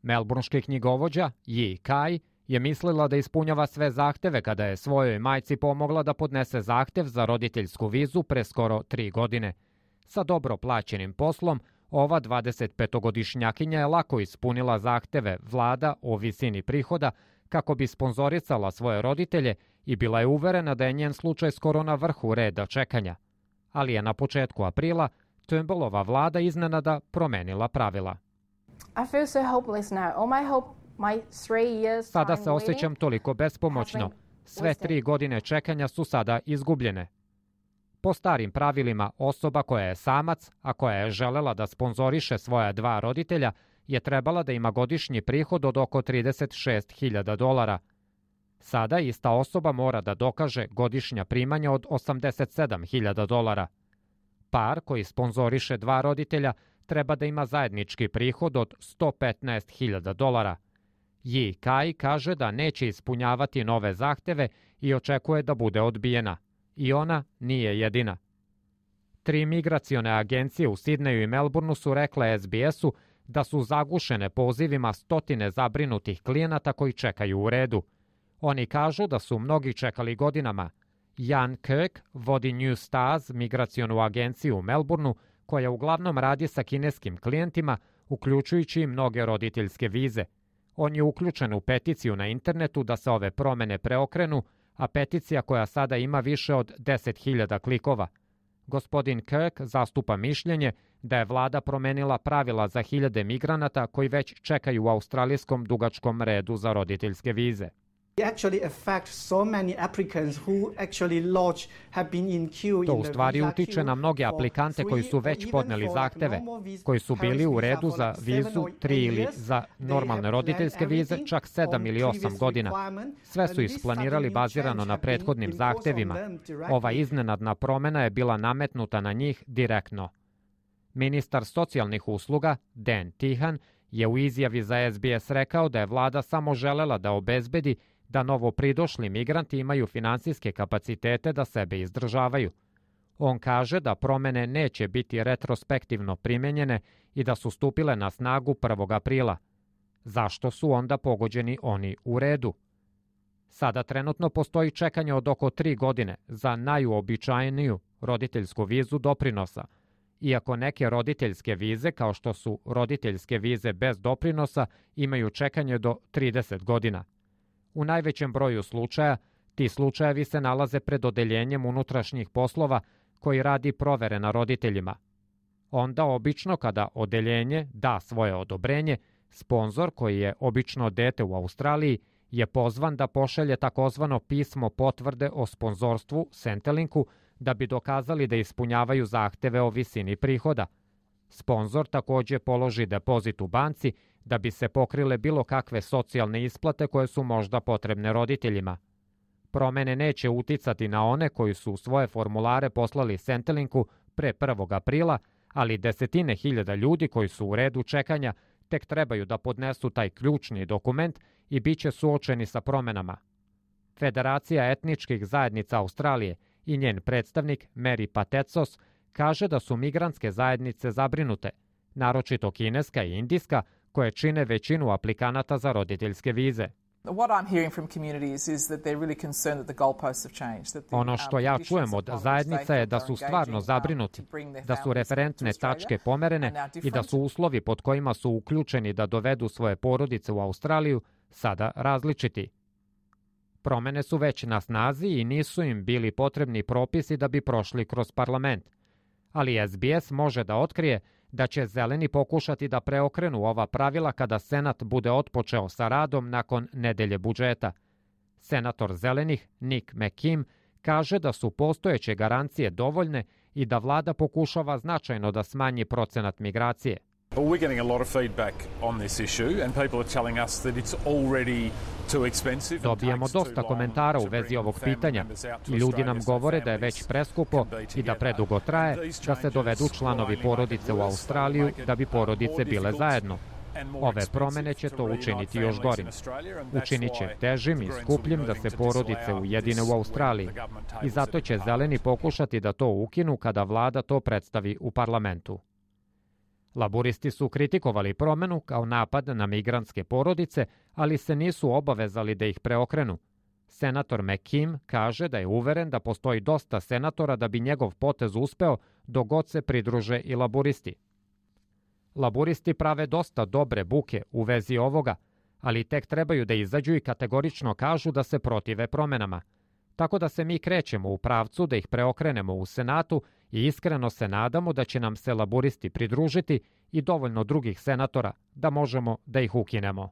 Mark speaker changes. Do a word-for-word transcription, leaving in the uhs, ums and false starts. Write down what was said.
Speaker 1: Melbourneški knjigovođa Yi Kai je mislila da ispunjava sve zahteve kada je svojoj majci pomogla da podnese zahtev za roditeljsku vizu pre skoro tri godine. Sa dobro plaćenim poslom, ova dvadesetpetogodišnjakinja je lako ispunila zahteve vlada o visini prihoda kako bi sponzorisala svoje roditelje i bila je uverena da je njen slučaj skoro na vrhu reda čekanja. Ali je na početku aprila Turnbullova vlada iznenada promenila pravila.
Speaker 2: I feel so hopeless now. All my hope, my three years
Speaker 1: Sada se osjećam toliko bespomoćno. Sve tri godine čekanja su sada izgubljene. Po starim pravilima, osoba koja je samac, a koja je želela da sponzoriše svoja dva roditelja, je trebala da ima godišnji prihod od oko trideset šest hiljada dolara. Sada ista osoba mora da dokaže godišnja primanja od osamdeset sedam hiljada dolara. Par koji sponzoriše dva roditelja treba da ima zajednički prihod od sto petnaest hiljada dolara. Yi Kai kaže da neće ispunjavati nove zahteve i očekuje da bude odbijena. I ona nije jedina. Tri migracione agencije u Sidneju i Melbourneu su rekle es bi esu da su zagušene pozivima stotine zabrinutih klijenata koji čekaju u redu. Oni kažu da su mnogi čekali godinama. Jan Kirk vodi New Stars migracionu agenciju u Melbourneu, koja uglavnom radi sa kineskim klijentima, uključujući i mnoge roditeljske vize. On je uključen u peticiju na internetu da se ove promene preokrenu, a peticija koja sada ima više od deset hiljada klikova. Gospodin Kirk zastupa mišljenje da je vlada promenila pravila za hiljade migranata koji već čekaju u australijskom dugačkom redu za roditeljske vize. To u stvari utiče na mnoge aplikante koji su već podneli zahteve, koji su bili u redu za vizu tri ili za normalne roditeljske vize čak sedam ili osam godina. Sve su isplanirali bazirano na prethodnim zahtevima. Ova iznenadna promena je bila nametnuta na njih direktno. Ministar socijalnih usluga, Dan Tehan, je u izjavi za es bi es rekao da je vlada samo želela da obezbedi da novopridošli migranti imaju finansijske kapacitete da sebe izdržavaju. On kaže da promene neće biti retrospektivno primenjene i da su stupile na snagu prvog aprila. Zašto su onda pogođeni oni u redu? Sada trenutno postoji čekanje od oko tri godine za najuobičajeniju roditeljsku vizu doprinosa, iako neke roditeljske vize, kao što su roditeljske vize bez doprinosa, imaju čekanje do trideset godina. U najvećem broju slučaja, ti slučajevi se nalaze pred odeljenjem unutrašnjih poslova koji radi provere na roditeljima. Onda obično kada odeljenje da svoje odobrenje, sponzor, koji je obično dete u Australiji, je pozvan da pošalje takozvano pismo potvrde o sponzorstvu Centrelinku da bi dokazali da ispunjavaju zahteve o visini prihoda. Sponzor takođe položi depozit u banci da bi se pokrile bilo kakve socijalne isplate koje su možda potrebne roditeljima. Promene neće uticati na one koji su svoje formulare poslali Centrelinku pre prvog aprila, ali desetine hiljada ljudi koji su u redu čekanja tek trebaju da podnesu taj ključni dokument i bit će suočeni sa promenama. Federacija etničkih zajednica Australije i njen predstavnik Mary Patetsos kaže da su migrantske zajednice zabrinute, naročito kineska i indijska, koje čine većinu aplikanata za roditeljske vize. Ono što ja čujem od zajednica je da su stvarno zabrinuti, da su referentne tačke pomerene i da su uslovi pod kojima su uključeni da dovedu svoje porodice u Australiju sada različiti. Promene su već na snazi i nisu im bili potrebni propisi da bi prošli kroz parlament. Ali es bi es može da otkrije da će zeleni pokušati da preokrenu ova pravila kada Senat bude otpočeo sa radom nakon nedelje budžeta. Senator zelenih Nick McKim kaže da su postojeće garancije dovoljne i da vlada pokušava značajno da smanji procenat migracije.
Speaker 3: We're getting a lot of feedback on this issue and people are telling us that it's already too expensive.
Speaker 1: Dobijamo dosta komentara u vezi ovog pitanja i ljudi nam govore da je već preskupo i da predugo traje da se dovedu članovi porodice u Australiju da bi porodice bile zajedno. Ove promene će to učiniti još gorim. Učinit će težim i skupljim da se porodice ujedine u Australiji i zato će zeleni pokušati da to ukinu kada vlada to predstavi u parlamentu. Laburisti su kritikovali promenu kao napad na migrantske porodice, ali se nisu obavezali da ih preokrenu. Senator McKim kaže da je uveren da postoji dosta senatora da bi njegov potez uspeo dok god se pridruže i laburisti. Laburisti prave dosta dobre buke u vezi ovoga, ali tek trebaju da izađu i kategorično kažu da se protive promenama. Tako da se mi krećemo u pravcu da ih preokrenemo u Senatu i iskreno se nadamo da će nam se laburisti pridružiti i dovoljno drugih senatora da možemo da ih ukinemo.